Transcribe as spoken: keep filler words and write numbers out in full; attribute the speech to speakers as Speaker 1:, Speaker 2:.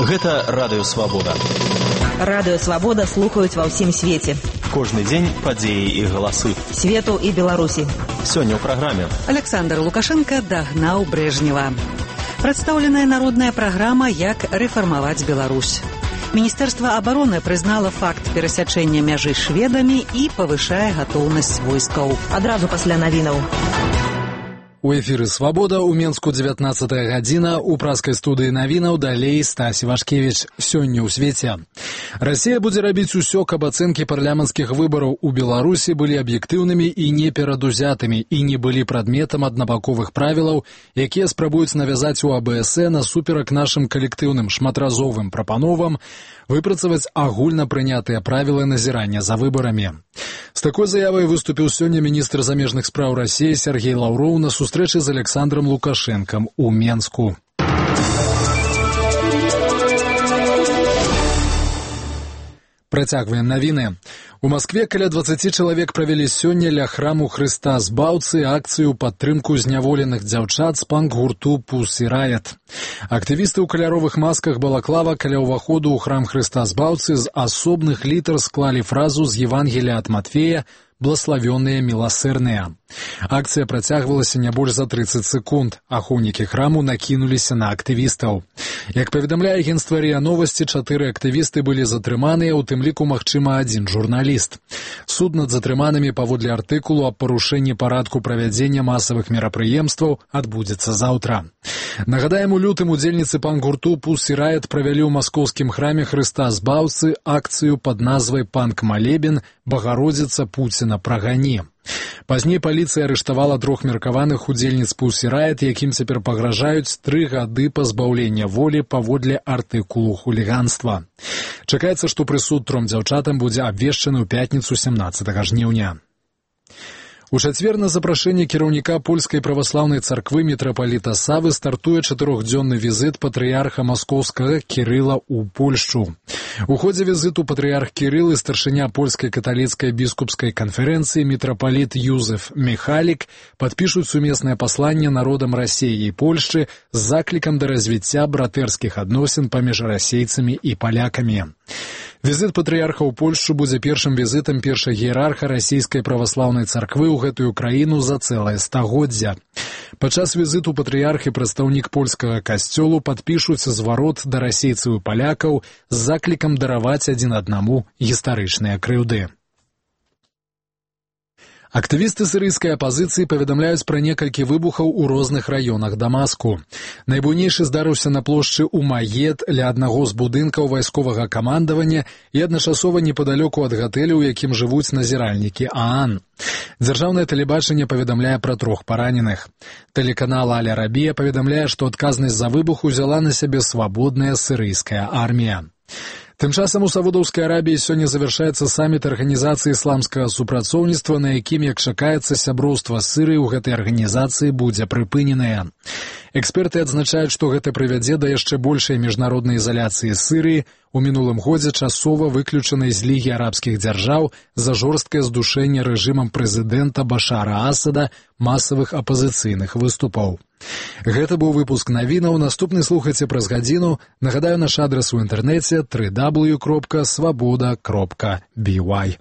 Speaker 1: Гэта Радыё Свабода.
Speaker 2: Радыё Свабода слухаюць ва ўсім свеце.
Speaker 1: Кожны дзень падзеі і галасы.
Speaker 2: Свету і Беларусі.
Speaker 1: Сёння ў праграме.
Speaker 3: Александр Лукашенко дагнаў Брежнева. Прадстаўленая народная праграма «Як рэфармаваць Беларусь». Міністэрства абароны прызнала факт перасячэння мяжы шведамі і павышае гатоўнасць войскаў.
Speaker 2: Адразу пасля навінаў.
Speaker 4: У эфіры «Свабода» у Менску дзевятнаццатая гадзіна, у праскай студыі навінаў далей Стась Вашкевіч. Сёння ў свеце. Расія будзе рабіць усё, каб ацэнкі парламенцкіх выбараў у Беларусі былі аб'ектыўнымі і не перадузятымі і не былі прадметам аднабаковых правілаў, якія спрабуюць навязаць у АБС насуперак нашым калектыўным шматразовым прапановам выпрацаваць агульна прынятыя правілы назірання за выбарамі. З такой заявай выступіў сёння міністр замежных спраў Расіі Сергей Лаўроў на сустрэчы з Александром Лукашенком у Менску. Працягваем навіны. У Маскве каля дваццаці чалавек правялі сёння ля храму Хрыста Збаўцы акцыю падтрымку зняволеных дзяўчат з панк-гурту Pussy Riot. Актывісты ў каляровых масках балаклава каля ўваходу ў храм Хрыста Збаўцы з асобных літар склалі фразу з Евангелія ад Матфея «Блаславёныя міласэрныя». Акцыя працягвалася не больш за трыццаць секунд. Ахоўнікі храму накінуліся на актывістаў. Як паведамляе агенцтва РИА Новасці, чатыры актывісты былі затрыманыя, у тым ліку, магчыма, адзін журналіст. Суд над затрыманымі паводле артыкулу аб парушэнні парадку правядзення масавых мерапрыемстваў адбудзецца заўтра. Нагадаем, у лютым удзельніцы панк-гурту Pussy Riot правялі ў маскоўскім храме Хрыста Збаўцы акцыю пад назвай «Панк-малебен. Багародзіца Пуціна прагані». Пазней паліцыя арыштавала трох меркаваных удзельніц Pussy Riot, якім цяпер пагражаюць тры гады пазбаўлення волі паводле артыкулу хуліганства. Чакаецца, што прысуд тром дзяўчатам будзе абвешчаны ў пятніцу сямнаццатага жніўня. У чацвер на запрашэнне кіраўніка польскай праваслаўнай царквы мітрапаліта Савы стартуе чатырохдзённы візіт патрыярха маскоўскага Кірыла ў Польшчу. У ходзе візіту патрыярх Кірыл і старшыня польскай каталіцкай біскупскай канферэнцыі мітрапаліт Юзеф Міхалік падпішуць сумеснае пасланне народам Расіі і Польшчы з заклікам да развіцця братэрскіх адносін паміж расейцамі і палякамі. Візіт патрыярха ў Польшчу будзе першым візітам першага іерарха расійскай праваслаўнай царквы ў гэтую краіну за цэлае стагоддзя. Падчас візіту патрыярх і прадстаўнік польскага касцёлу падпішуць зварот да расейцаў і палякаў з заклікам дараваць адзін аднаму гістарычныя крыўды. Актывісты сірыйскай апазіцыі паведамляюць пра некалькі выбухаў у розных раёнах Дамаску. Найбуйнейшы здарыўся на плошчы Умаед ля аднаго з будынкаў вайсковага камандавання і адначасова непадалёку ад гатэля, у якім жывуць назіральнікі ААН. Дзяржаўнае тэлебачанне паведамляе пра трох параненых. Тэлеканал Аль-Арабія паведамляе, што адказнасць за выбух узяла на сябе свабодная сірыйская армія. Тым часам у Саудаўскай Арабіі сёння завяршаецца саміт Арганізацыі ісламскага супрацоўніцтва, на якім, як чакаецца, сяброўства з Сірыяй у гэтай арганізацыі будзе прыпыненае. Эксперты адзначаюць, што гэта прывядзе да яшчэ большай міжнароднай ізаляцыі Сірыі, у мінулым годзе часова выключанай з Лігі арабскіх дзяржаў за жорсткае здушэнне рэжымам прэзідэнта Башара Асада масавых апазіцыйных выступаў. Гэта быў выпуск навінаў. Наступны слухайце праз гадзіну. Нагадаю, наш адрас у інтэрнэце дабл ю дабл ю дабл ю кропка свабода кропка бі вай.